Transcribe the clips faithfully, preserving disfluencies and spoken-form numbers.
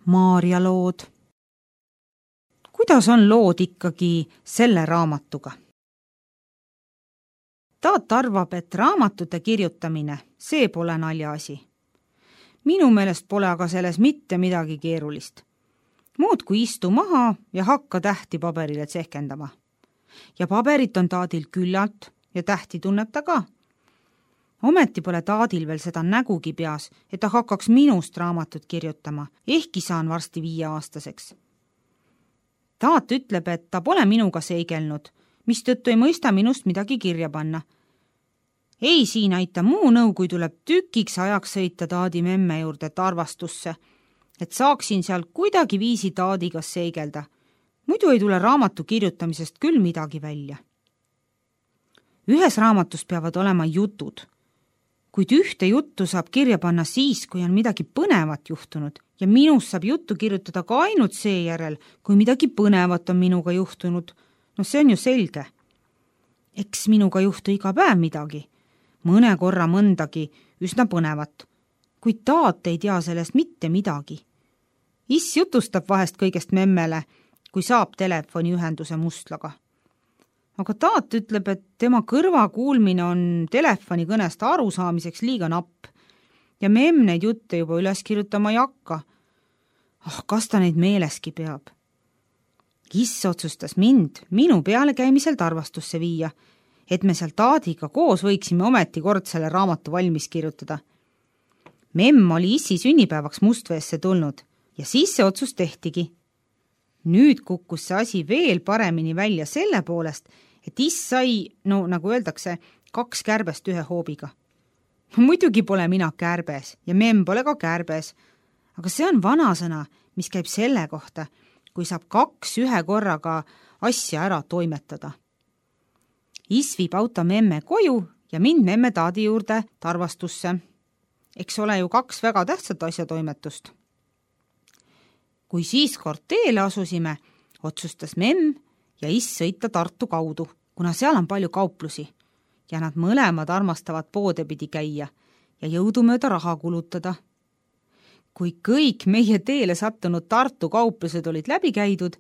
Maarja lood. Kuidas on lood ikkagi selle raamatuga? Taat arvab, et raamatute kirjutamine, see pole naljaasi. Minu meelest pole aga selles mitte midagi keerulist. Muud kui istu maha ja hakka tähti paberile tsehkendama. Ja paberit on Taadil küllalt ja tähti tunneb ta ka. Ometi pole Taadil veel seda nägugi peas, et ta hakkaks minust raamatut kirjutama, ehkki saan varsti viieaastaseks. Taat ütleb, et ta pole minuga seigelnud, mistõttu ei mõista minust midagi kirja panna. Ei siin aita muu nõu, kui tuleb tükiks ajaks sõita Taadi memme juurde Tarvastusse, et saaksin seal kuidagi viisi Taadiga seigelda. Muidu ei tule raamatu kirjutamisest küll midagi välja. Ühes raamatus peavad olema jutud, kuid ühte juttu saab kirja panna siis, kui on midagi põnevat juhtunud ja minust saab juttu kirjutada ka ainult seejärel, kui midagi põnevat on minuga juhtunud. No see on ju selge. Eks minuga juhtu iga päev midagi, mõne korra mõndagi üsna põnevat, kuid Taat ei tea sellest mitte midagi. Is jutustab vahest kõigest memmele, kui saab telefoniühenduse Mustlaga. Aga Taat ütleb, et tema kõrva kuulmine on telefoni kõnest arusaamiseks liiga napp ja memm neid jutte juba üles kirjutama ei hakka. Ah, kas ta neid meeleski peab? Is otsustas mind minu peale käimisel Tarvastusse viia, et me seal Taadiga koos võiksime ometi kord selle raamatu valmis kirjutada. Memm oli Issi sünnipäevaks Mustveesse tulnud ja siis see otsus tehtigi. Nüüd kukkus see asi veel paremini välja selle poolest, et Is sai, no nagu öeldakse, kaks kärbest ühe hoobiga. Muidugi pole mina kärbes ja memm pole ka kärbes, aga see on vanasõna, mis käib selle kohta, kui saab kaks ühe korraga asja ära toimetada. Is viib auto memme koju ja mind memme Taadi juurde Tarvastusse. Eks ole ju kaks väga tähtsat asjatoimetust. Kui siis kord teele asusime, otsustas memm ja Is sõita Tartu kaudu, kuna seal on palju kauplusi ja nad mõlemad armastavad poode pidi käia ja jõudumööda raha kulutada. Kui kõik meie teele sattunud Tartu kauplused olid läbi käidud,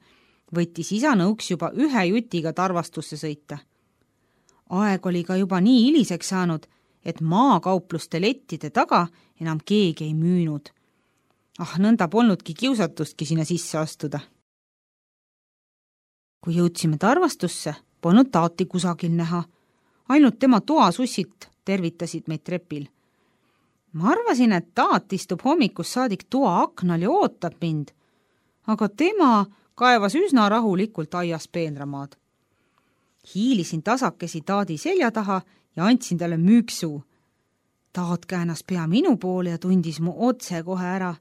võttis isa nõuks juba ühe jutiga Tarvastusse sõita. Aeg oli ka juba nii hiliseks saanud, et maakaupluste lettide taga enam keegi ei müünud. Ah, nõnda polnudki kiusatustki sinna sisse astuda. Kui jõudsime Tarvastusse, polnud Taati kusagil näha. Ainult tema toasussid tervitasid meid trepil. Ma arvasin, et Taat istub hommikus saadik toa aknal ja ootab mind, aga tema kaevas üsna rahulikult aias peenramaad. Hiilisin tasakesi Taadi selja taha ja andsin talle müüksu. Taat käänas pea minu poole ja tundis mu otse kohe ära.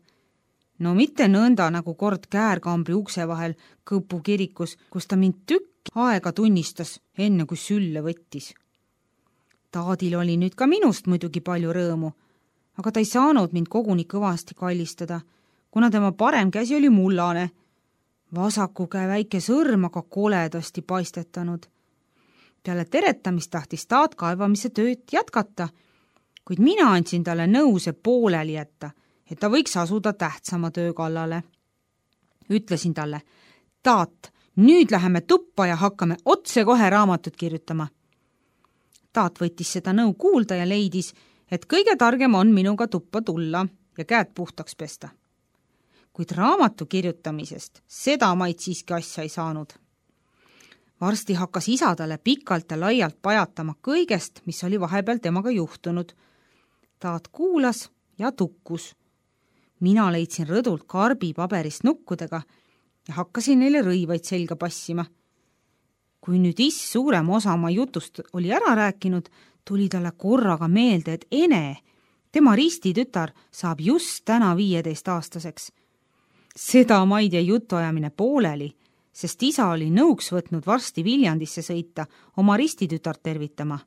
No mitte nõnda nagu kord käärkambri ukse vahel Kõpu kirikus, kus ta mind tükk aega tunnistas, enne kui sülle võttis. Taadil oli nüüd ka minust muidugi palju rõõmu, aga ta ei saanud mind koguni kõvasti kallistada, kuna tema parem käsi oli mullane, vasaku käe väike sõrm aga koledasti paistetanud. Peale teretamist tahtis Taat kaevamise tööd jätkata, kuid mina andsin talle nõuse pooleli jätta, et ta võiks asuda tähtsama töö kallale. Ütlesin talle, Taat, nüüd läheme tuppa ja hakkame otse kohe raamatut kirjutama. Taat võttis seda nõu kuulda ja leidis, et kõige targem on minuga tuppa tulla ja käed puhtaks pesta. Kuid raamatu kirjutamisest seda maid siiski asja ei saanud. Varsti hakkas isa talle pikalt ja laialt pajatama kõigest, mis oli vahepeal temaga juhtunud. Taat kuulas ja tukkus. Mina leidsin rõdult karbi paberist nukkudega ja hakkasin neile rõivaid selga passima. Kui nüüd Is suurem osa oma jutust oli ära rääkinud, tuli talle korraga meelde, et Ene, tema ristitütar, saab just täna viieteist aastaseks. Seda maid jäi jutuajamine pooleli, sest isa oli nõuks võtnud varsti Viljandisse sõita oma ristitütart tervitama.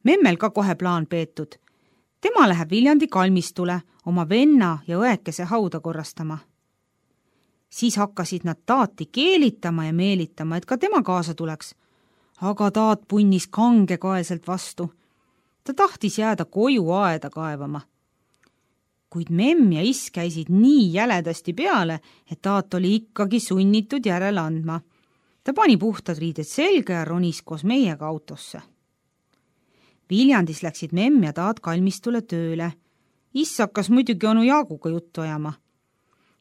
Memmel ka kohe plaan peetud. Tema läheb Viljandi kalmistule oma venna ja õekese hauda korrastama. Siis hakkasid nad Taati keelitama ja meelitama, et ka tema kaasa tuleks. Aga Taat punnis kangekaelselt vastu. Ta tahtis jääda koju aeda kaevama. kuid memm ja iss käisid nii jäledasti peale, et taat oli ikkagi sunnitud järele andma. Ta pani puhtad riided selga ja ronis koos meiega autosse. Viljandis läksid memm ja taat kalmistule tööle. Iss hakkas muidugi onu Jaaguga juttu ajama.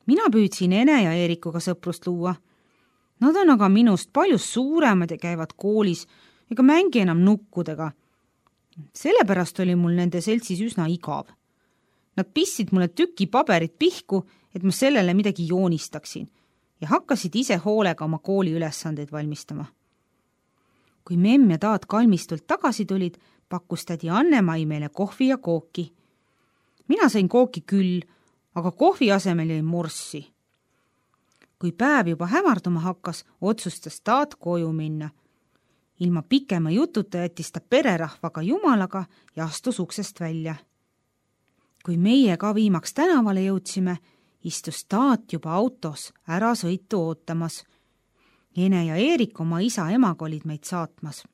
Mina püüdsin Ene ja Eerikuga sõprust luua. Nad on aga minust palju suuremad ja käivad koolis ega mängi enam nukkudega. Sellepärast oli mul nende seltsis üsna igav. Nad pissid mulle tüki paberit pihku, et ma sellele midagi joonistaksin ja hakkasid ise hoolega oma kooli ülesandeid valmistama. Kui memm ja taat kalmistult tagasi tulid, pakkus tädi Anne-Mai meile kohvi ja kooki. Mina sain kooki küll, aga kohvi asemel jäi morssi. Kui päev juba hämarduma hakkas, otsustas taat koju minna. Ilma pikema jututa jättis ta pererahvaga jumalaga ja astus uksest välja. Kui meie ka viimaks tänavale jõudsime, istus taat juba autos ära sõitu ootamas. Ene ja Eerik oma isa emaga olid meid saatmas.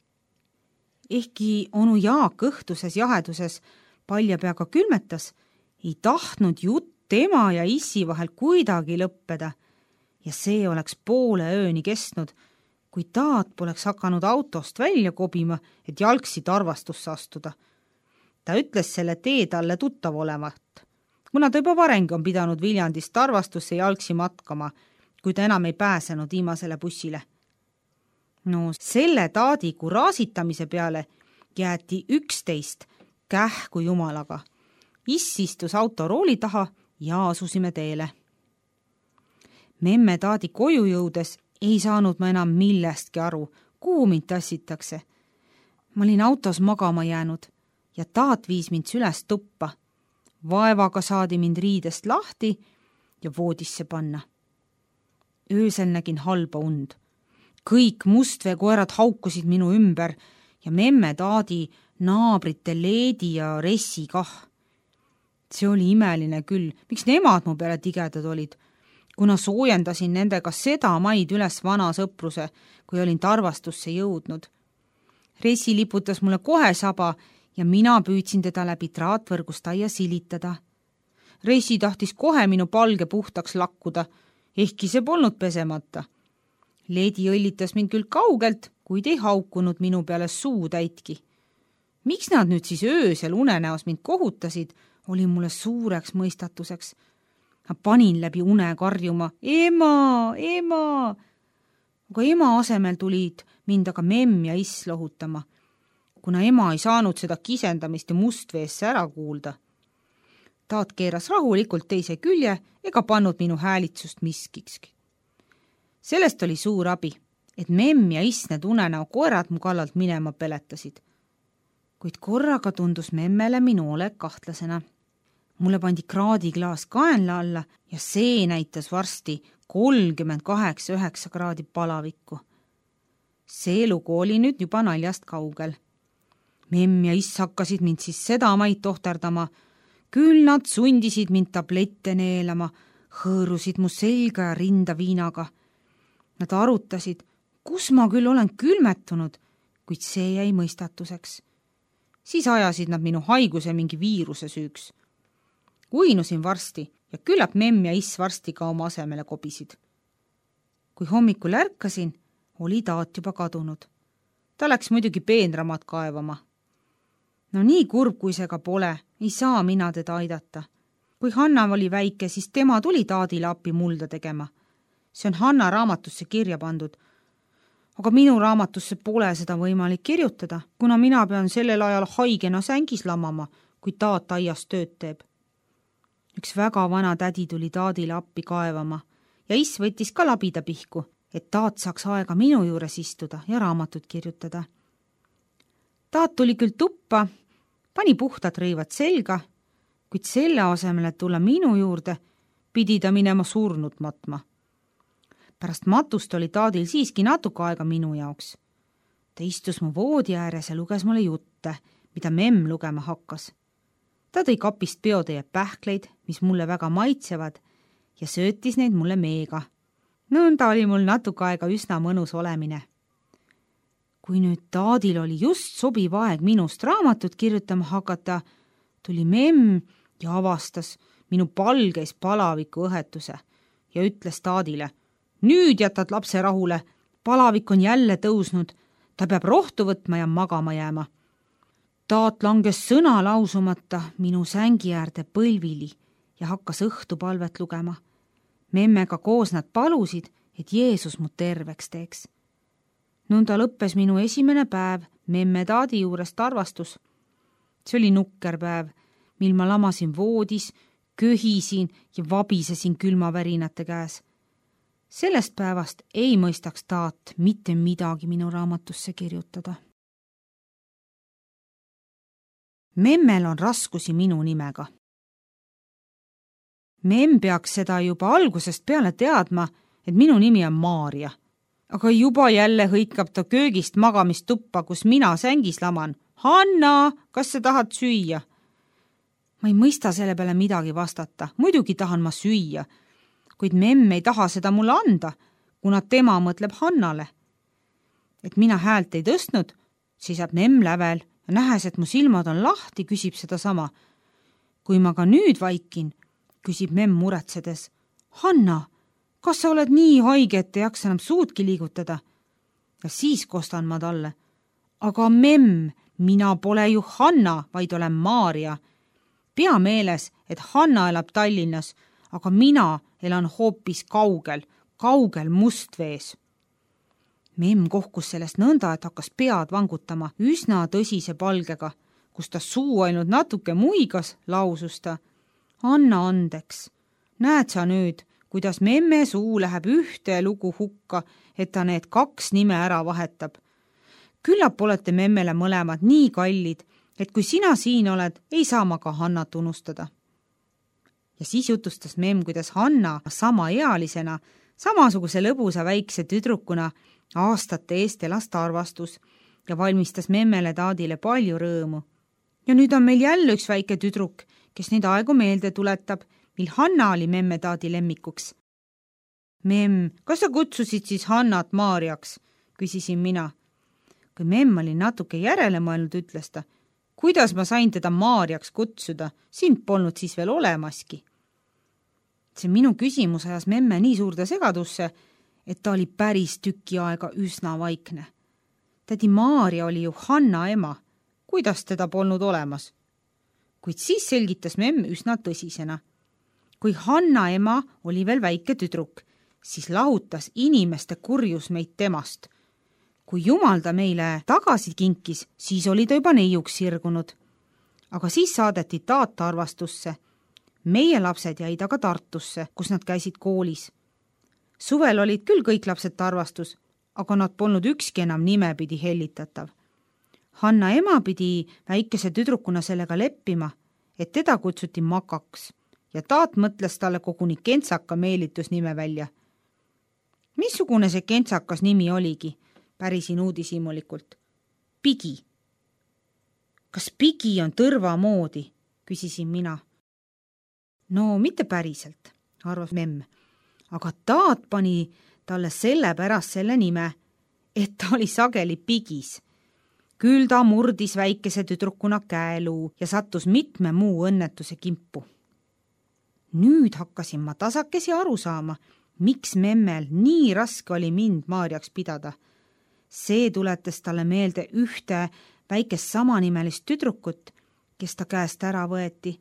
Ehkki onu Jaak õhtuses jaheduses palja peaga külmetas, ei tahtnud jutt tema ja issi vahel kuidagi lõppeda ja see oleks poole ööni kestnud, kui taat poleks hakanud autost välja kobima, et jalgsi tarvastusse astuda. Ta ütles selle tee talle tuttav olevat, kuna ta juba varengi on pidanud Viljandist tarvastusse jalgsi matkama, kui ta enam ei pääsenud viimasele bussile. No selle taadi kuraasitamise peale jäeti üksteist kähku jumalaga. Iss istus autorooli taha ja asusime teele. Memme taadi koju jõudes ei saanud ma enam millestki aru, kuhu mind tassitakse. Ma olin autos magama jäänud ja taat viis mind süles tuppa. Vaevaga saadi mind riidest lahti ja voodisse panna. Öösel nägin halba und. Kõik mustveekoerad haukusid minu ümber ja memme taadi naabrite Leedi ja Ressi kah. See oli imeline küll, miks nemad mu peale tigedad olid, kuna soojendasin nendega seda maid üles vana sõpruse, kui olin tarvastusse jõudnud. Ressi liputas mulle kohe saba ja mina püüdsin teda läbi traatvõrgust aia silitada. Ressi tahtis kohe minu palge puhtaks lakkuda, ehkki see polnud pesemata. Leedi õllitas mind küll kaugelt, kuid ei haukunud minu peale suu täitki. Miks nad nüüd siis öösel unenäos mind kohutasid, oli mulle suureks mõistatuseks. Ma panin läbi une karjuma, ema, ema. Aga ema asemel tulid mind aga memm ja iss lohutama, kuna ema ei saanud seda kisendamist ja mustveesse ära kuulda. Taat keeras rahulikult teise külje ega pannud minu häälitsust miskikski. Sellest oli suur abi, et memm ja iss need unenäo koerad mu kallalt minema peletasid. Kuid korraga tundus memmele minu olek kahtlasena. Mulle pandi kraadiklaas kaenla alla ja see näitas varsti kolmkümmend kaheksa üheksa kraadi palavikku. See lugu oli nüüd juba naljast kaugel. Memm ja iss hakkasid mind siis seda maid tohterdama. Küll nad sundisid mind tablette neelama, hõõrusid mu selga ja rinda viinaga. Nad arutasid, kus ma küll olen külmetunud, kuid see jäi mõistatuseks. Siis ajasid nad minu haiguse mingi viiruse süüks. Uinusin varsti ja küllap memm ja iss varsti ka oma asemele kobisid. Kui hommikul ärkasin, oli taat juba kadunud. Ta läks muidugi peenramat kaevama. No nii kurb, kui see ka pole, ei saa mina teda aidata. Kui Hanna oli väike, siis tema tuli taadile appi mulda tegema. See on Hanna raamatusse kirja pandud. Aga minu raamatusse pole seda võimalik kirjutada, kuna mina pean sellel ajal haigena sängis lamama, kui taat aias tööd teeb. Üks väga vana tädi tuli taadile appi kaevama ja iss võttis ka labida pihku, et taat saaks aega minu juures istuda ja raamatut kirjutada. Taat tuli küll tuppa, pani puhtad rõivad selga, kuid selle asemel, et tulla minu juurde, pidi ta minema surnud matma. Pärast matust oli taadil siiski natuke aega minu jaoks. Ta istus mu voodi ääres ja luges mulle jutte, mida memm lugema hakkas. Ta tõi kapist peotäie pähkleid, mis mulle väga maitsevad, ja söötis neid mulle meega. Nõnda oli mul natuke aega üsna mõnus olemine. Kui nüüd taadil oli just sobiv aeg minust raamatut kirjutama hakata, tuli memm ja avastas, minu palgeis palaviku õhetuse ja ütles taadile: nüüd jätad lapse rahule, palavik on jälle tõusnud, ta peab rohtu võtma ja magama jääma. Taat langes sõna lausumata minu sängi äärde põlvili ja hakkas õhtupalvet lugema. Memmega koos nad palusid, et Jeesus mu terveks teeks. Nõnda lõppes minu esimene päev memme taadi juurest arvastus. See oli nukker päev, mil ma lamasin voodis, köhisin ja vabisesin külmavärinate käes. Sellest päevast ei mõistaks taat mitte midagi minu raamatusse kirjutada. Memmel on raskusi minu nimega. Memm peaks seda juba algusest peale teadma, et minu nimi on Maarja. Aga juba jälle hõikab ta köögist magamistuppa, kus mina sängis laman. Hanna, kas sa tahad süüa? Ma ei mõista selle peale midagi vastata. Muidugi tahan ma süüa, kuid memm ei taha seda mulle anda, kuna tema mõtleb Hannale. Et mina häält ei tõstnud, seisab memm lävel ja nähes, et mu silmad on lahti, küsib seda sama. Kui ma ka nüüd vaikin, küsib memm muretsedes: Hanna, kas sa oled nii haige, et ei jaksa enam suudki liigutada? Ja siis kostan ma talle: aga memm, mina pole ju Hanna, vaid olen Maarja. Pea meeles, et Hanna elab Tallinnas, aga mina elan hoopis kaugel, kaugel Mustvees. Memm kohkus sellest nõnda, et hakkas pead vangutama üsna tõsise palgega, kus ta suu ainult natuke muigas, lausus ta: anna andeks, näed sa nüüd, kuidas memme suu läheb ühte lugu hukka, et ta need kaks nime ära vahetab. Küllap olete memmele mõlemad nii kallid, et kui sina siin oled, ei saa ma ka Hannat unustada. Ja siis jutustas memm, kuidas Hanna sama ealisena, samasuguse lõbusa väikse tüdrukuna aastate eest elas arvastus ja valmistas memmele taadile palju rõõmu. Ja nüüd on meil jälle üks väike tüdruk, kes neid aegu meelde tuletab, mil Hanna oli memme taadi lemmikuks. Memm, kas sa kutsusid siis Hannat Maarjaks? Küsisin mina. Kui memm oli natuke järele mõelnud, ütles ta: kuidas ma sain teda Maarjaks kutsuda? Sind polnud siis veel olemaski. See minu küsimus ajas memme nii suurde segadusse, et ta oli päris tüki aega üsna vaikne. Tädi Maarja oli ju Hanna ema. Kuidas teda polnud olemas? Kuid siis selgitas memm üsna tõsisena. Kui Hanna ema oli veel väike tüdruk, siis lahutas inimeste kurjus meid temast. Kui Jumal ta meile tagasi kinkis, siis oli ta juba neiuks sirgunud. Aga siis saadeti taata arvastusse. Meie lapsed jäid aga Tartusse, kus nad käisid koolis. Suvel olid küll kõik lapsed arvastus, aga nad polnud ükski enam nimepidi hellitatav. Hanna ema pidi väikese tüdrukuna sellega leppima, et teda kutsuti Makaks ja taat mõtles talle koguni kentsaka meelitusnime välja. Missugune see kentsakas nimi oligi? Pärisin uudishimulikult. Pigi. Kas Pigi on tõrva moodi? Küsisin mina. No mitte päriselt, arvas memm, aga taat pani talle selle pärast selle nime, et ta oli sageli Pigis. Küll ta murdis väikese tüdrukuna käeluu ja sattus mitme muu õnnetuse kimpu. Nüüd hakkasin ma tasakesi aru saama, miks memmel nii raske oli mind Maarjaks pidada. See tuletas talle meelde ühte väikest samanimelist tüdrukut, kes ta käest ära võeti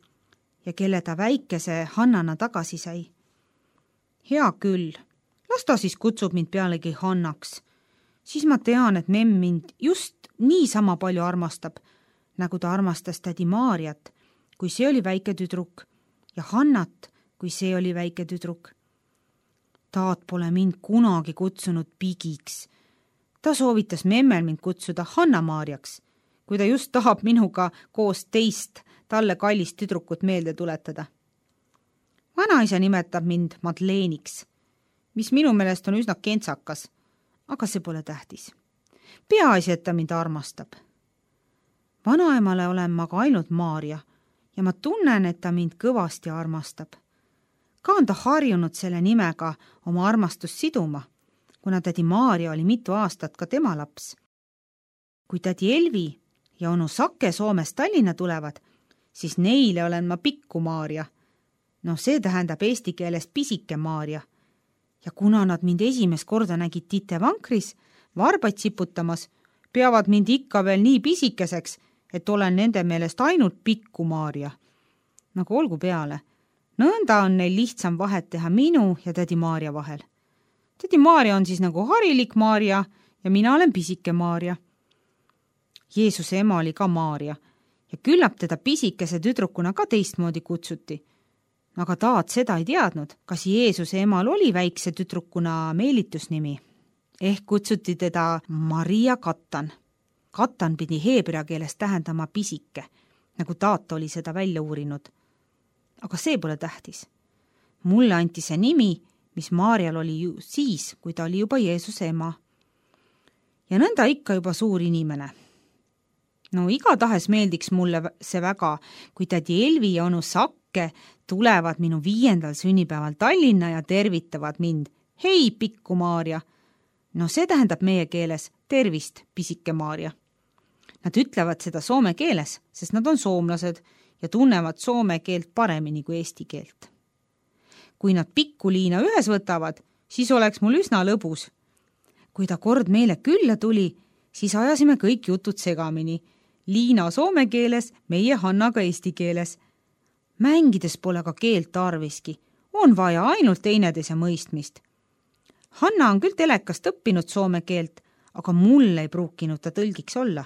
ja kelle ta väikese Hannana tagasi sai. Hea küll, las ta siis kutsub mind pealegi Hannaks. Siis ma tean, et memm mind just nii sama palju armastab, nagu ta armastas tädi Maarjat, kui see oli väike tüdruk, ja Hannat, kui see oli väike tüdruk. Taat pole mind kunagi kutsunud Pigiks. Ta soovitas memmel mind kutsuda Hanna Maarjaks, kui ta just tahab minuga koos teist talle kallist tüdrukut meelde tuletada. Vanaisa nimetab mind Madleeniks, mis minu meelest on üsna kentsakas, aga see pole tähtis. Peaasi, et ta mind armastab. Vanaemale olen ma ka ainult Maarja ja ma tunnen, et ta mind kõvasti armastab. Ka on ta harjunud selle nimega oma armastust siduma, kuna tädi Maarja oli mitu aastat ka tema laps. Kui tädi Elvi ja onu Sake Soomest Tallinna tulevad, siis neile olen ma Pikku Maarja, No see tähendab eesti keeles pisike Maarja. Ja kuna nad mind esimest korda nägid Tite vankris, varbaid siputamas, peavad mind ikka veel nii pisikeseks, et olen nende meelest ainult pikku Maarja. Nagu olgu peale. Nõnda on neil lihtsam vahet teha minu ja tädi Maarja vahel. Tädi Maarja on siis nagu harilik Maarja ja mina olen pisike Maarja. Jeesuse ema oli ka Maarja ja küllap teda pisikese tüdrukuna ka teistmoodi kutsuti. Aga Taat seda ei teadnud, kas Jeesuse emal oli väikse tüdrukuna meelitusnimi. Ehk kutsuti teda Maria Katan. Katan pidi heebrea keeles tähendama pisike, nagu Taat oli seda välja uurinud. Aga see pole tähtis. Mulle anti see nimi, mis Maarjal oli ju siis, kui ta oli juba Jeesuse ema. Ja nõnda ikka juba suur inimene. No igatahes meeldiks mulle see väga, kui tädi Elvi ja onu Sakke tulevad minu viiendal sünnipäeval Tallinna ja tervitavad mind. Hei, pikku Maarja! No see tähendab meie keeles tervist, pisike Maarja. Nad ütlevad seda soome keeles, sest nad on soomlased ja tunnevad soome keelt paremini kui eesti keelt. Kui nad pikku Liina ühes võtavad, siis oleks mul üsna lõbus. Kui ta kord meile külla tuli, siis ajasime kõik jutud segamini. Liina soome keeles, meie Hannaga eesti keeles. Mängides pole ka keelt tarviski. On vaja ainult teineteise mõistmist. Hanna on küll telekast õppinud soome keelt, aga mulle ei pruukinud ta tõlgiks olla.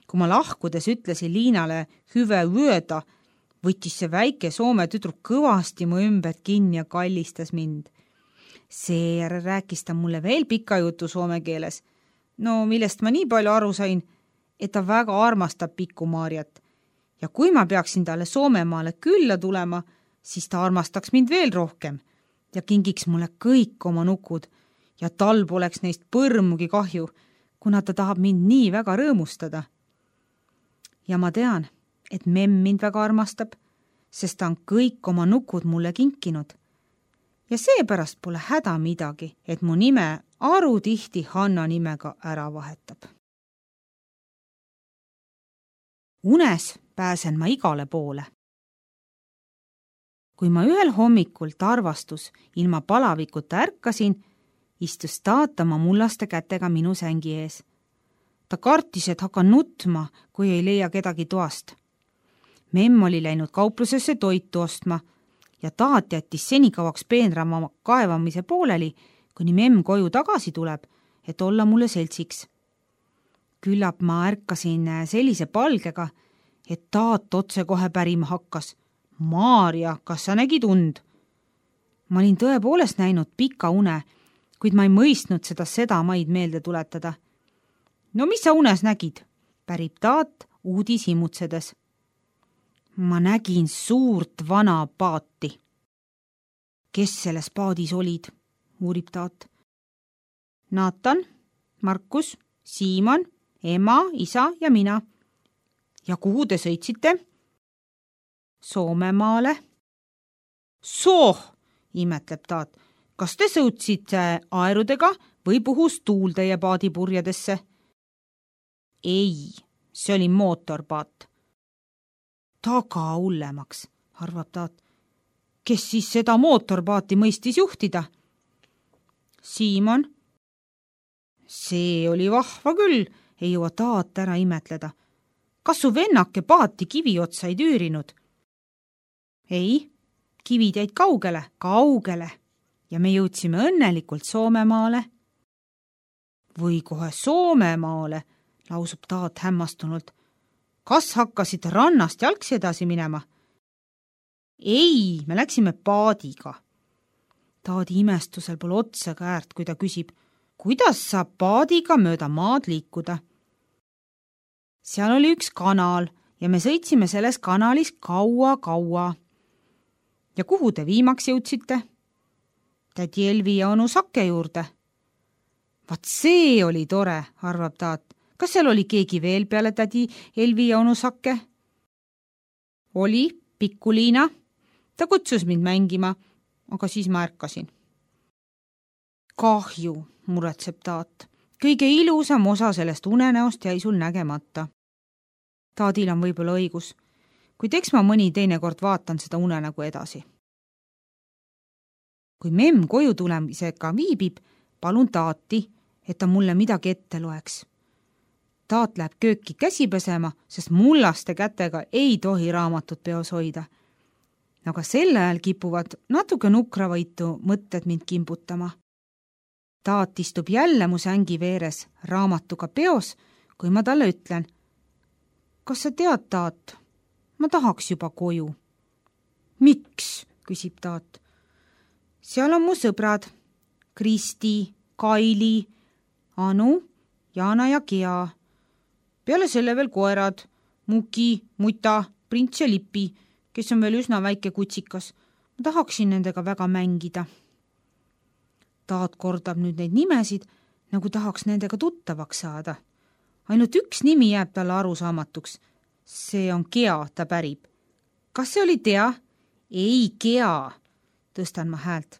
Kui ma lahkudes ütlesin Liinale hüve vööda, võttis see väike soome tüdruk kõvasti mu ümber kinni ja kallistas mind. Seejärel rääkis ta mulle veel pika jutu soome keeles, no millest ma nii palju aru sain, et ta väga armastab pikku Maarjat. Ja kui ma peaksin talle Soomemaale külla tulema, siis ta armastaks mind veel rohkem ja kingiks mulle kõik oma nukud ja tal poleks neist põrmugi kahju, kuna ta tahab mind nii väga rõõmustada. Ja ma tean, et memm mind väga armastab, sest ta on kõik oma nukud mulle kinkinud. Ja seepärast pole häda midagi, et mu nime aru tihti Hanna nimega ära vahetab. Unes pääsen ma igale poole. Kui ma ühel hommikul tarvastus ilma palavikuta ärkasin, istus Taat oma mullaste kätega minu sängi ees. Ta kartis, et hakkan nutma, kui ei leia kedagi toast. Memm oli läinud kauplusesse toitu ostma ja Taat jättis senikauaks peenrama kaevamise pooleli, kuni memm koju tagasi tuleb, et olla mulle seltsiks. Küllap ma ärkasin sellise palgega, et Taat otse kohe pärima hakkas. Maarja, kas sa nägid und? Ma olin tõepoolest näinud pika une, kuid ma ei mõistnud seda seda maid meelde tuletada. No mis sa unes nägid? Pärib Taat uudis himutsedes. Ma nägin suurt vana paati. Kes selles paadis olid? Uurib Taat. Naatan, Markus, Siimon, ema, isa ja mina. Ja kuhu te sõitsite? Soomemaale. Sooh, imetleb Taat. Kas te sõutsite aerudega või puhus tuul teie paadipurjadesse? Ei, see oli mootorpaat. Taga hullemaks, arvab Taat. Kes siis seda mootorpaati mõistis juhtida? Siimon. See oli vahva küll, ei jõua Taat ära imetleda. Kas su vennake paati kivi otsa ei tüürinud? Ei, kivid jäid kaugele, kaugele ja me jõudsime õnnelikult Soomemaale. Või kohe Soomemaale, lausub Taat hämmastunult. Kas hakkasid rannast jalgsi edasi minema? Ei, me läksime paadiga. Taadi imestusel pole otsa käärt, kui ta küsib, kuidas saab paadiga mööda maad liikuda? Seal oli üks kanal ja me sõitsime selles kanalis kaua-kaua. Ja kuhu te viimaks jõudsite? Tädi Elvi ja onu Sakke juurde. Vat see oli tore, arvab Taat. Kas seal oli keegi veel peale tädi Elvi ja onu Sakke? Oli, pikku Liina. Ta kutsus mind mängima, aga siis ma ärkasin. Kahju, muretseb Taat. Kõige ilusam osa sellest unenäost jäi sul nägemata. Taadil on võib-olla õigus, kuid eks ma mõni teinekord vaatan seda unenägu edasi. kui memm koju tulemisega viibib, palun taati, et ta mulle midagi ette loeks. Taat läheb kööki käsi pesema, sest mullaste kätega ei tohi raamatut peos hoida. Aga sel ajal kipuvad natuke nukravõitu mõtted mind kimbutama. Taat istub jälle mu sängi veeres raamatuga peos, kui ma talle ütlen: kas sa tead, Taat, ma tahaks juba koju. Miks? Küsib Taat. Seal on mu sõbrad Kristi, Kaili, Anu, Jana ja Gea. Peale selle veel koerad Muki, Muta, Prints ja Lipi, kes on veel üsna väike kutsikas. Ma tahaksin nendega väga mängida. Taat kordab nüüd neid nimesid, nagu tahaks nendega tuttavaks saada. Ainult üks nimi jääb talle arusaamatuks. See on Gea, ta pärib. Kas see oli Tea? Ei, Gea, tõstan ma häält.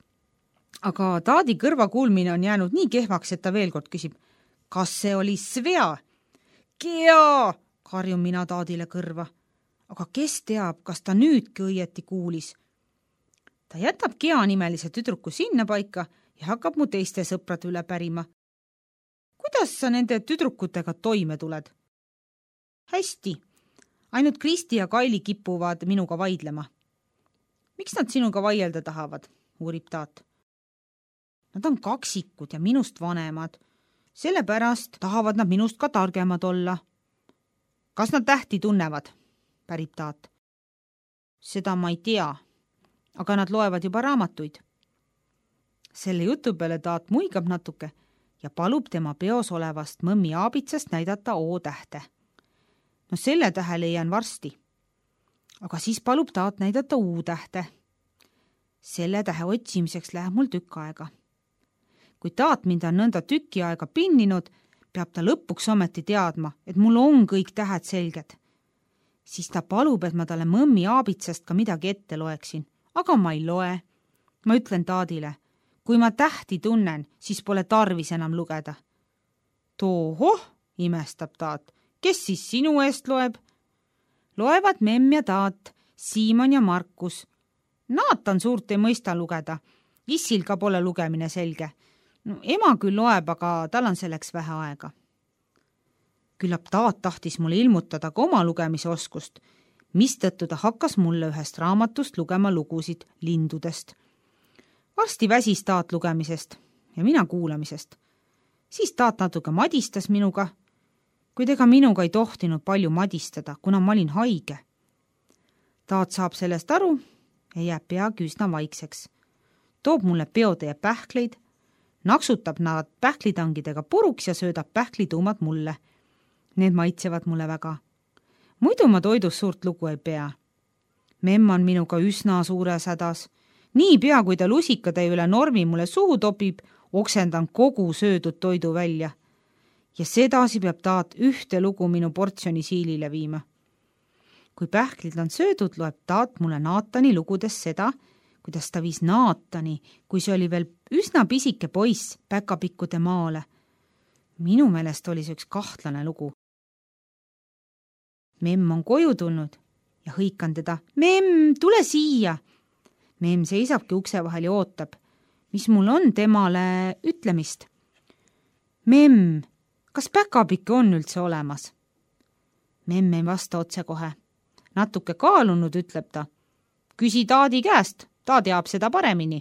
Aga Taadi kõrva kuulmine on jäänud nii kehvaks, et ta veel kord küsib: kas see oli Svea? Gea, karjun mina Taadile kõrva. Aga kes teab, kas ta nüüdki õieti kuulis? Ta jätab Gea nimelise tüdruku sinna paika ja hakkab mu teiste sõprade üle pärima. Kuidas sa nende tüdrukutega toime tuled? Hästi, ainult Kristi ja Kaili kipuvad minuga vaidlema. Miks nad sinuga vaielda tahavad, uurib Taat. Nad on kaksikud ja minust vanemad. Sellepärast tahavad nad minust ka targemad olla. Kas nad tähti tunnevad? Pärib Taat. Seda ma ei tea, aga nad loevad juba raamatuid. Selle jutu peale Taat muigab natuke ja palub tema peos olevast mõmmi aabitsast näidata O tähte. No selle tähe leian varsti. Aga siis palub Taat näidata U tähte. Selle tähe otsimiseks läheb mul tükk aega. Kui Taat mind on nõnda tüki aega pinninud, peab ta lõpuks ometi teadma, et mul on kõik tähed selged. Siis ta palub, et ma talle mõmmi aabitsast ka midagi ette loeksin, aga ma ei loe. Ma ütlen Taadile: kui ma tähti tunnen, siis pole tarvis enam lugeda. Tohoh, imestab Taat, kes siis sinu eest loeb? Loevad memm ja Taat, Siimon ja Markus. Naatan suurt ei mõista lugeda. Issil ka pole lugemine selge. No, ema küll loeb, aga tal on selleks vähe aega. Küllap Taat tahtis mulle ilmutada ka oma lugemisoskust, mistõttu ta hakkas mulle ühest raamatust lugema lugusid lindudest. Varsti väsis Taat lugemisest ja mina kuulamisest. Siis Taat natuke madistas minuga, kuid ega minuga ei tohtinud palju madistada, kuna ma olin haige. Taat saab sellest aru ja jääb peagi üsna vaikseks. Toob mulle peotäie pähkleid, naksutab nad pähklitangidega puruks ja söödab pähklituumad mulle. Need maitsevad mulle väga. Muidu ma toidus suurt lugu ei pea. Memm on minuga üsna suures hädas. Nii pea, kui ta lusikatäie üle normi mulle suhu topib, oksendan kogu söödud toidu välja. Ja sedasi peab Taat ühte lugu minu portsjoni siilile viima. Kui pähklid on söödud, loeb Taat mulle Naatani lugudes seda, kuidas ta viis Naatani, kui see oli veel üsna pisike poiss päkapikkude maale. Minu meelest oli see üks kahtlane lugu. Memm on koju tulnud ja hõikan teda: Memm, tule siia! Memm seisabki ukse vahel ja ootab, mis mul on temale ütlemist. Memm, kas päkapikk on üldse olemas? Memm ei vasta otse kohe. Natuke kaalunud ütleb ta: küsi Taadi käest, ta teab seda paremini.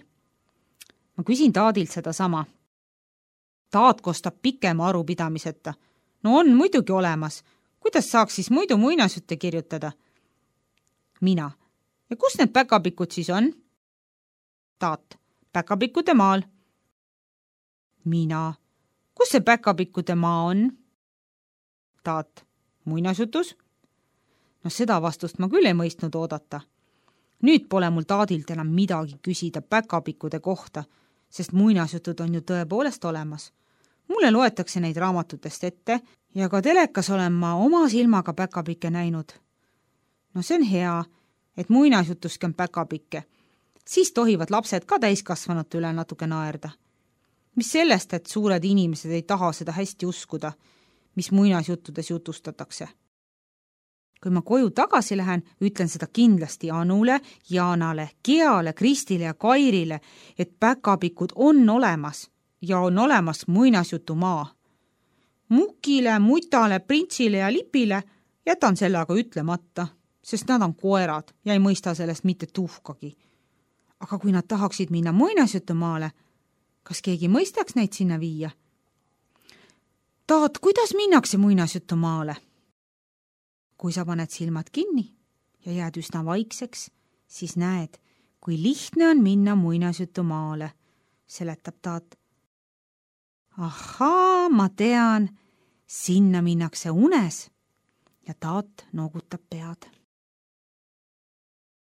Ma küsin Taadilt seda sama. Taat kostab pikema arupidamiseta. No on muidugi olemas. Kuidas saaks siis muidu muinasjutte kirjutada? Mina. Ja kus need päkapikud siis on? Taat. Päkapikkude maal. Mina. Kus see päkapikkude maa on? Taat. Muinasjutus? No seda vastust ma küll ei mõistnud oodata. Nüüd pole mul Taadilt enam midagi küsida päkapikkude kohta, sest muinasjutud on ju tõepoolest olemas. Mulle loetakse neid raamatutest ette ja ka telekas olen ma oma silmaga päkapikke näinud. No see on hea, et muinasjutuski on päkapikke. Siis tohivad lapsed ka täiskasvanute üle natuke naerda. Mis sellest, et suured inimesed ei taha seda hästi uskuda, mis muinasjuttudes jutustatakse. kui ma koju tagasi lähen, ütlen seda kindlasti Anule, Jaanale, Geale, Kristile ja Kairile, et päkapikud on olemas ja on olemas muinasjutumaa. Mukile, Mutale, Printsile ja Lipile jätan selle aga ütlemata, sest nad on koerad ja ei mõista sellest mitte tuhkagi. Aga kui nad tahaksid minna muinasjutumaale, kas keegi mõistaks neid sinna viia? Taat, kuidas minnakse muinasjutumaale? Kui sa paned silmad kinni ja jääd üsna vaikseks, siis näed, kui lihtne on minna muinasjutumaale, seletab Taat. Ahaa, ma tean, sinna minnakse unes ja Taat noogutab pead.